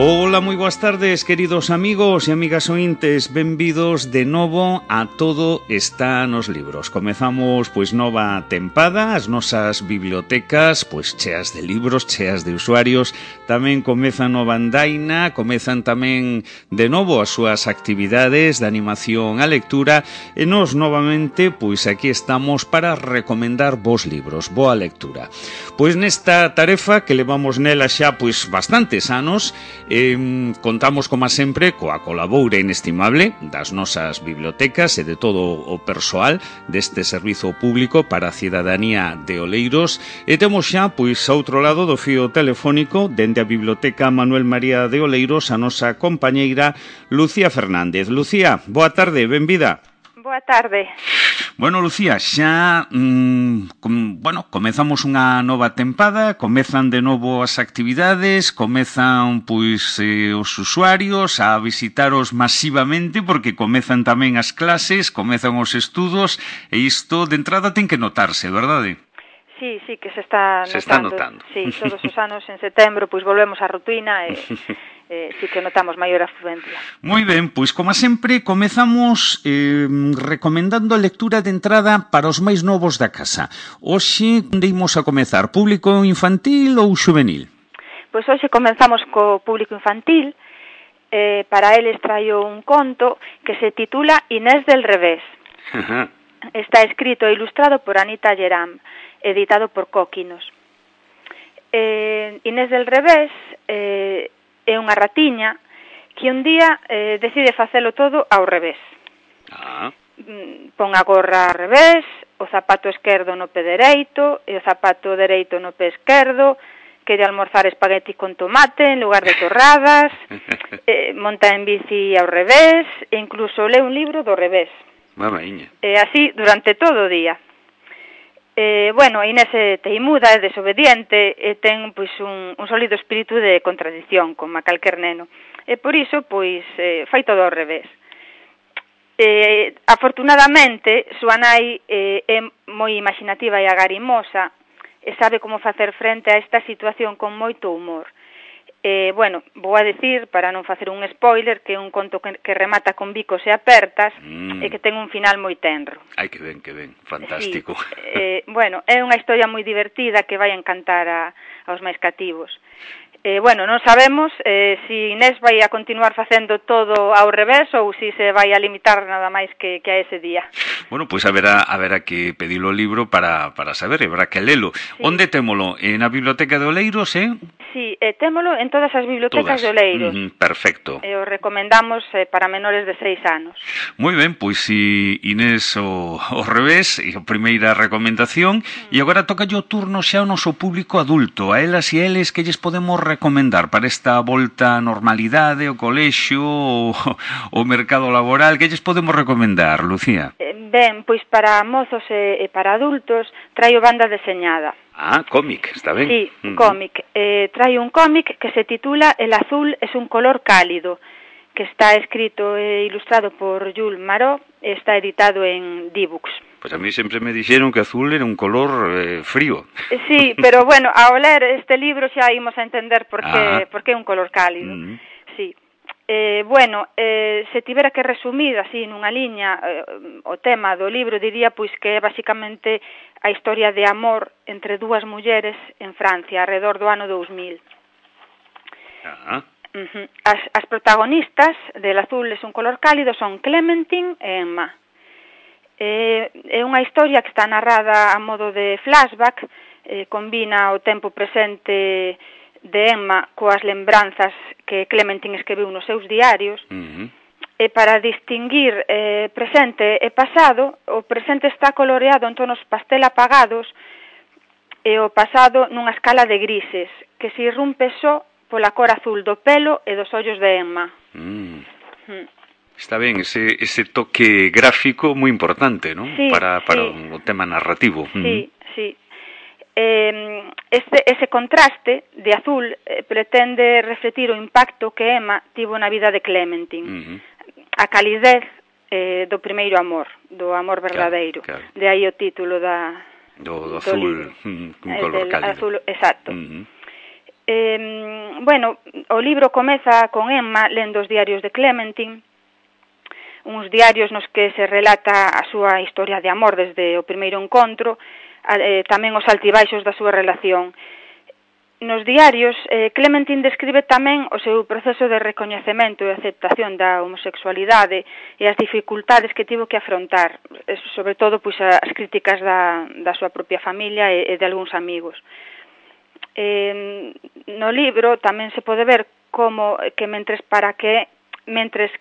Ola, moi boas tardes, queridos amigos e amigas ointes. Benvidos de novo a Todo está nos libros. Comezamos, pois, nova tempada. As nosas bibliotecas, pois, cheas de libros, cheas de usuarios. Tamén comezan nova andaina, comezan tamén de novo as súas actividades de animación á lectura. E nós, novamente, pois, aquí estamos para recomendar vos libros, boa lectura. Pois nesta tarefa que levamos nela xa, pois, bastantes anos, contamos, como sempre, coa colaboura inestimable das nosas bibliotecas e de todo o persoal deste servizo público para a cidadanía de Oleiros, e temos xa, pois, a outro lado do fío telefónico, dende a Biblioteca Manuel María de Oleiros, a nosa compañeira Lucía Fernández. Lucía, boa tarde, benvida. Boa tarde. Bueno, Lucía, xa comezamos unha nova tempada, comezan de novo as actividades, comezan, pois, os usuarios a visitaros masivamente, porque comezan tamén as clases, comezan os estudos, e isto de entrada ten que notarse, verdade? Sí, que se está notando. Se está notando. Sí, todos os anos en setembro, pois volvemos á rutina e sí que notamos maior afluencia. Moi ben, pois como sempre comezamos recomendando a lectura de entrada para os máis novos da casa. Hoxe imos a comezar, público infantil ou xuvenil? Pois hoxe comenzamos co público infantil. Para eles traio un conto que se titula Inés del Revés. Está escrito e ilustrado por Anita Geram, editado por Cóquinos. Inés del Revés é unha ratiña que un día decide facelo todo ao revés. Pon a gorra ao revés, o zapato esquerdo no pé dereito e o zapato dereito no pé esquerdo, quere almorzar espagueti con tomate en lugar de torradas, monta en bici ao revés e incluso lee un libro do revés. Así durante todo o día. Inés é teimuda, é desobediente e ten, pois, un sólido espírito de contradición, como a calquer neno. E por iso, pois, fai todo ao revés. Afortunadamente, súa nai é moi imaginativa e agarimosa e sabe como facer frente a esta situación con moito humor. Vou a decir, para non facer un spoiler, que é un conto que remata con bicos e apertas e que ten un final moi tenro. Ai, que ben, fantástico. Sí. É unha historia moi divertida que vai encantar aos máis cativos. Non sabemos se Inés vai a continuar facendo todo ao revés ou se se vai a limitar nada máis que a ese día. Bueno, pois haberá que pedilo o libro para saber, haberá que lelo. Sí. Onde témolo? Na Biblioteca de Oleiros, Sí, témolo en todas as bibliotecas de Oleiros. Perfecto. E o recomendamos para menores de 6 anos. Moi ben, pois si Inés o revés, e a primeira recomendación, e agora toca o turno xa ao noso público adulto, a elas e eles que lles podemos recomendar para esta volta á normalidade, o colexio, o mercado laboral, que lles podemos recomendar, Lucía? Ben, pois para mozos e para adultos traio banda deseñada. Cómic, está ben. Sí, cómic. Traio un cómic que se titula El azul es un color cálido, que está escrito e ilustrado por Jules Marot e está editado en D-Books. Pois a mí sempre me dixeron que azul era un color frío. Sí, pero ao ler este libro xa imos a entender por que é un color cálido. Sí. Se tivera que resumir así nunha liña o tema do libro, diría pois que é basicamente a historia de amor entre dúas mulleres en Francia arredor do ano 2000. As protagonistas del azul es un color cálido son Clementine e Emma. É unha historia que está narrada a modo de flashback, combina o tempo presente de Emma coas lembranzas que Clementine escribiu nos seus diarios. E para distinguir presente e pasado, o presente está coloreado en tonos pastel apagados e o pasado nunha escala de grises que se irrumpe só pola cor azul do pelo e dos ollos de Emma. Está ben, ese toque gráfico moi importante, non? Sí, para o tema narrativo. Sí. Ese contraste de azul pretende refletir o impacto que Emma tivo na vida de Clementine. A calidez do primeiro amor, do amor verdadeiro. Claro. De aí o título do azul, un color cálido. Azul, exacto. Bueno, o libro comeza con Emma lendo os diarios de Clementine, uns diarios nos que se relata a súa historia de amor desde o primeiro encontro, tamén os altibaixos da súa relación. Nos diarios, Clementine describe tamén o seu proceso de recoñecemento e aceptación da homosexualidade e as dificultades que tivo que afrontar, sobre todo pois, as críticas da súa propia familia e de algúns amigos. No libro tamén se pode ver como que mentres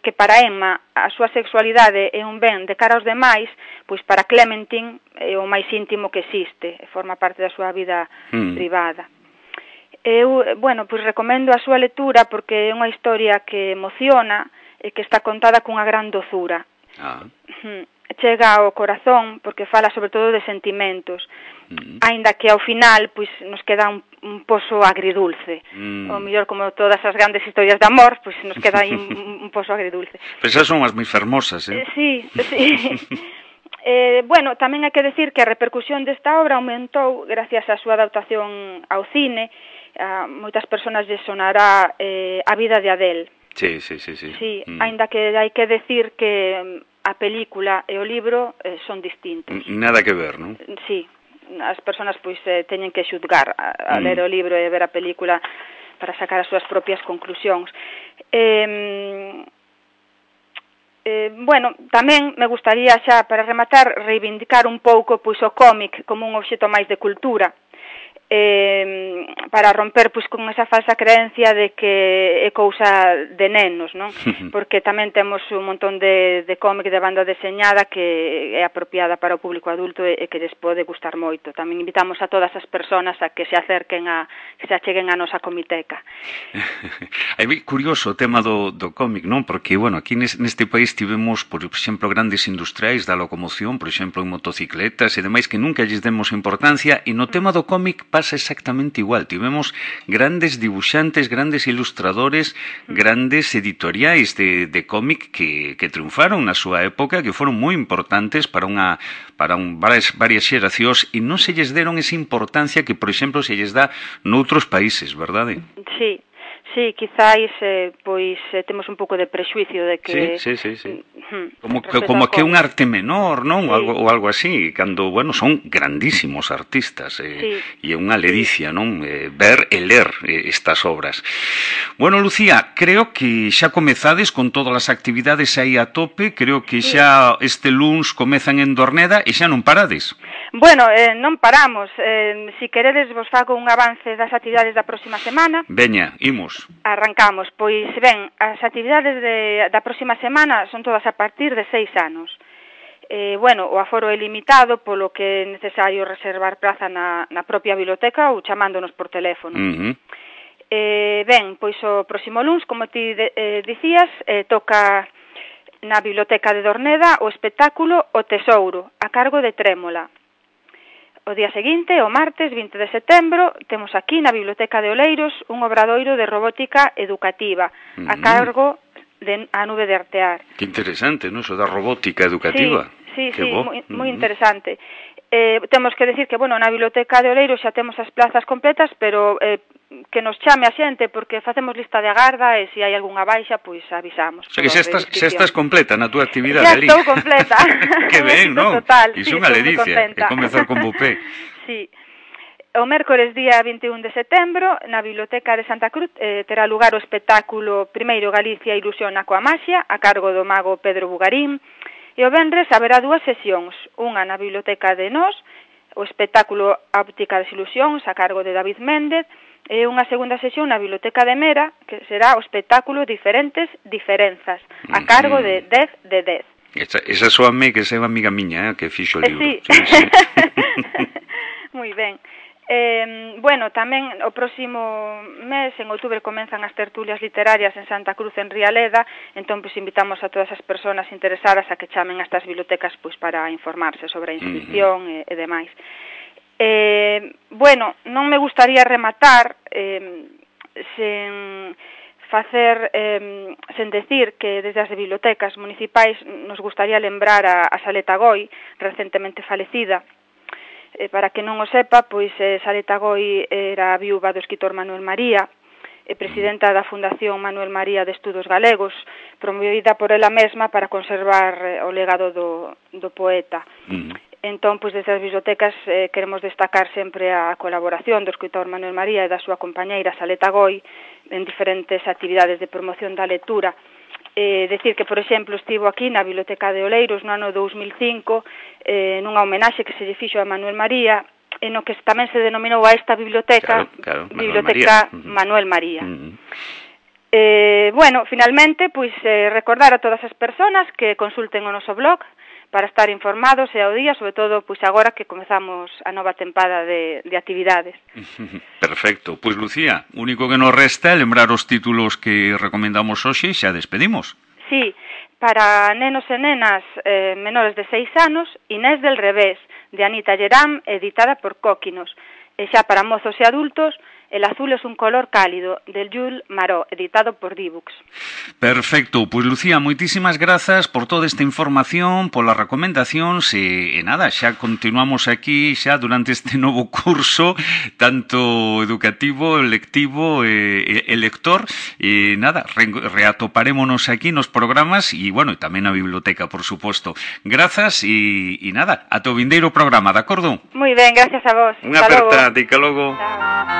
que para Emma a súa sexualidade é un ben de cara aos demais, pois para Clementine é o máis íntimo que existe, forma parte da súa vida privada. Eu, bueno, pois recomendo a súa lectura porque é unha historia que emociona e que está contada cunha gran dozura. Chega ao corazón porque fala sobre todo de sentimentos, aínda que ao final pois nos queda un pozo agridulce. O mellor, como todas as grandes historias de amor, pois nos queda aí un pozo agridulce. Pois esas son as moi fermosas, Sí. Bueno, tamén hai que decir que a repercusión desta obra aumentou gracias á súa adaptación ao cine. Moitas persoas lle sonará A vida de Adele. Sí, aínda que hai que decir que a película e o libro son distintos. Nada que ver, non? Sí, as persoas pois teñen que xudgar a ler o libro e ver a película para sacar as súas propias conclusións. Bueno, tamén me gustaría xa para rematar reivindicar un pouco pois o cómic como un obxecto máis de cultura. Para romper pois con esa falsa creencia de que é cousa de nenos, non? Porque tamén temos un montón de cómic de banda deseñada que é apropiada para o público adulto e que lles pode gustar moito. Tamén invitamos a todas as persoas a que se acerquen que se acheguen a nosa comiteca. É curioso o tema do cómic, non? Porque, bueno, aquí neste país tivemos, por exemplo, grandes industriais da locomoción, por exemplo, en motocicletas e demais que nunca lles demos importancia, e no tema do cómic pasa exactamente igual. Tivemos grandes dibuixantes, grandes ilustradores, grandes editoriais de cómic que triunfaron na súa época, que foron moi importantes para varias xeracións e non se lles deron esa importancia que, por exemplo, se lles dá noutros países, verdade? Sí, quizáis pois temos un pouco de prexuicio de que Sí. Como que é un arte menor, non? Sí. Ou algo así, cando, bueno, son grandísimos artistas e é unha ledicia, non? Ver e ler estas obras. Bueno, Lucía, creo que xa comezades con todas as actividades aí a tope, creo que xa este luns comezan en Dorneda e xa non parades. Bueno, non paramos. Si queredes vos fago un avance das actividades da próxima semana. Veña, imos. Arrancamos. Pois, ben, as actividades da próxima semana son todas a partir de 6 anos. Bueno, o aforo é limitado, polo que é necesario reservar praza na propia biblioteca ou chamándonos por teléfono. Ben, pois o próximo luns, como ti dicías, toca na biblioteca de Dorneda o espectáculo O Tesouro, a cargo de Trémola. O día seguinte, o martes 20 de setembro, temos aquí na Biblioteca de Oleiros un obradoiro de robótica educativa a cargo de A Nube de Artear. Que interesante, non? Eso da robótica educativa. Sí, moi interesante. Temos que decir que, bueno, na Biblioteca de Oleiros xa temos as plazas completas, pero que nos chame a xente, porque facemos lista de agarda e se hai algunha baixa, pois avisamos. O sea, que xa estás completa na túa actividade ali. Xa estou completa. Que ben, non? Iso é unha ledicia, e comezar con bupé. Sí. O mércores día 21 de setembro, na Biblioteca de Santa Cruz, terá lugar o espectáculo Primeiro Galicia ilusiona coa maxia, a cargo do mago Pedro Bugarín, e o venres haberá 2 sesións, unha na Biblioteca de Nós, o espectáculo A Óptica das Ilusións, a cargo de David Méndez, e unha segunda sesión na Biblioteca de Mera, que será o espectáculo Diferentes Diferenzas, a cargo de 10 de 10. Esa soame que é unha amiga miña, que fixo o libro. Sí. Moi ben. Bueno, tamén o próximo mes, en outubro, comenzan as tertulias literarias en Santa Cruz, en Rialeda, entón pois invitamos a todas as persoas interesadas a que chamen a estas bibliotecas pois para informarse sobre a inscripción e demais. Bueno, non me gustaría rematar sen decir que desde as bibliotecas municipais nos gustaría lembrar a Saleta Goi, recentemente falecida, Para que non o sepa, pois Saleta Goi era a viúva do escritor Manuel María, e presidenta da Fundación Manuel María de Estudos Galegos, promovida por ela mesma para conservar o legado do poeta. Entón, pois, desde as bibliotecas queremos destacar sempre a colaboración do escritor Manuel María e da súa compañeira Saleta Goi en diferentes actividades de promoción da lectura. Decir que, por exemplo, estivo aquí na Biblioteca de Oleiros no ano 2005 nunha homenaxe que se lle fixo a Manuel María, en o que tamén se denominou a esta biblioteca Biblioteca Manuel María. Bueno, finalmente, pois recordar a todas as persoas que consulten o noso blog para estar informados e ao día, sobre todo pois agora que comezamos a nova tempada de actividades. Perfecto. Pois Lucía, o único que nos resta é lembrar os títulos que recomendamos hoxe e xa despedimos. Sí, para nenos e nenas menores de 6 anos, Inés del Revés, de Anita Lleram, editada por Cóquinos. E xa para mozos e adultos, El azul es un color cálido, de Jules Marot, editado por Dibux. Perfecto, pois Lucía, moitísimas grazas por toda esta información, polas recomendacións e nada, xa continuamos aquí xa durante este novo curso, tanto educativo, lectivo e lector, e nada, reatoparémonos aquí nos programas e, bueno, tamén na biblioteca, por suposto. Grazas e nada, ata o vindeiro programa, de acordo? Moi ben, gracias a vos. Unha aperta, dica logo. Chao.